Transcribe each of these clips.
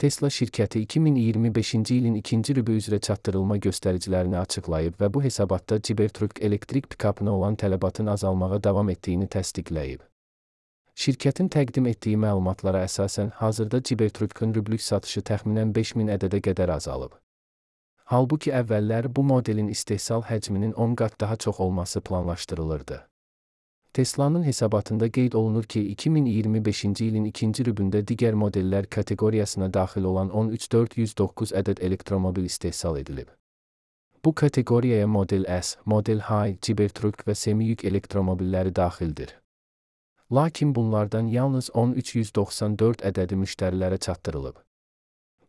Tesla şirkəti 2025-ci ilin ikinci rübü üzrə çatdırılma göstəricilərini açıqlayıb və bu hesabatda Cybertruck elektrik pikapına olan tələbatın azalmağa davam etdiyini təsdiqləyib. Şirkətin təqdim etdiyi məlumatlara əsasən, hazırda Cybertruck'un rüblük satışı təxminən 5000 ədədə qədər azalıb. Halbuki əvvəllər bu modelin istehsal həcminin 10 qat daha çox olması planlaşdırılırdı. Tesla'nın hesabatında qeyd olunur ki, 2025-ci ilin ikinci rübündə digər modellər kateqoriyasına daxil olan 13409 ədəd elektromobil istehsal edilib. Bu kateqoriyaya Model S, Model High, Cybertruck və semi-yük elektromobilləri daxildir. Lakin bunlardan yalnız 13194 ədədi müştərilərə çatdırılıb.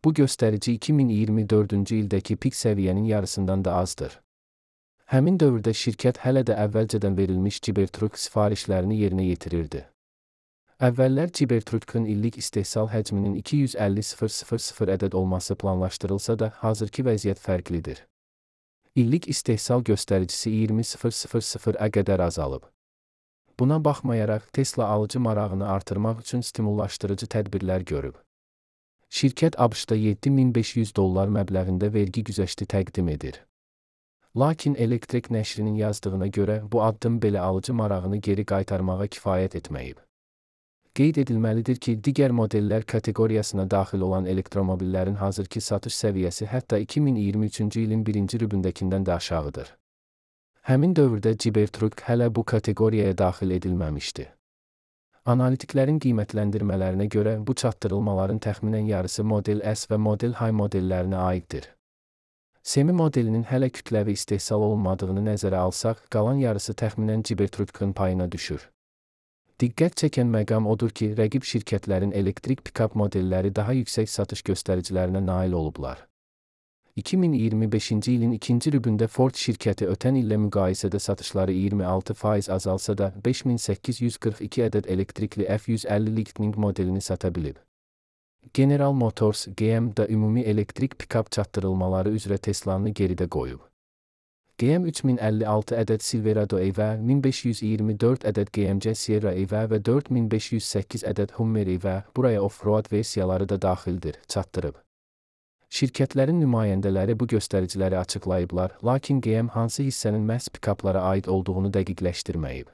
Bu göstərici 2024-cü ildəki pik səviyyənin yarısından da azdır. Həmin dövrdə şirkət hələ də əvvəlcədən verilmiş Cybertruck sifarişlərini yerinə yetirirdi. Əvvəllər Cybertruck'un illik istehsal həcminin 250.000 ədəd olması planlaşdırılsa da, hazırki vəziyyət fərqlidir. İllik istehsal göstəricisi 20.000-ə qədər azalıb. Buna baxmayaraq, Tesla alıcı marağını artırmaq üçün stimullaşdırıcı tədbirlər görüb. Şirkət ABŞ-da $7500 məbləğində vergi güzəşti təqdim edir. Lakin Elektrik nəşrinin yazdığına görə, bu addım belə alıcı marağını geri qaytarmağa kifayət etməyib. Qeyd edilməlidir ki, digər modellər kateqoriyasına daxil olan elektromobillərin hazırki satış səviyyəsi hətta 2023-cü ilin birinci rübündəkindən də aşağıdır. Həmin dövrdə Cybertruck hələ bu kateqoriyaya daxil edilməmişdi. Analitiklərin qiymətləndirmələrinə görə, bu çatdırılmaların təxminən yarısı Model S və Model High modellərinə aiddir. Semi modelinin hələ kütləvi istehsal olunmadığını nəzərə alsaq, qalan yarısı təxminən Cybertruck'un payına düşür. Diqqət çəkən məqam odur ki, rəqib şirkətlərin elektrik pikap modelləri daha yüksək satış göstəricilərinə nail olublar. 2025-ci ilin ikinci rübündə Ford şirkəti ötən illə müqayisədə satışları 26% azalsa da 5842 ədəd elektrikli F150 Lightning modelini sata bilib. General Motors, GM da ümumi elektrik pikap çatdırılmaları üzrə Tesla'nı geridə qoyub. GM 3056 ədəd Silverado EV, 1524 ədəd GMC Sierra EV və 4508 ədəd Hummer EV, buraya off-road versiyaları da daxildir, çatdırıb. Şirkətlərin nümayəndələri bu göstəriciləri açıqlayıblar, lakin GM hansı hissənin məhz pikaplara aid olduğunu dəqiqləşdirməyib.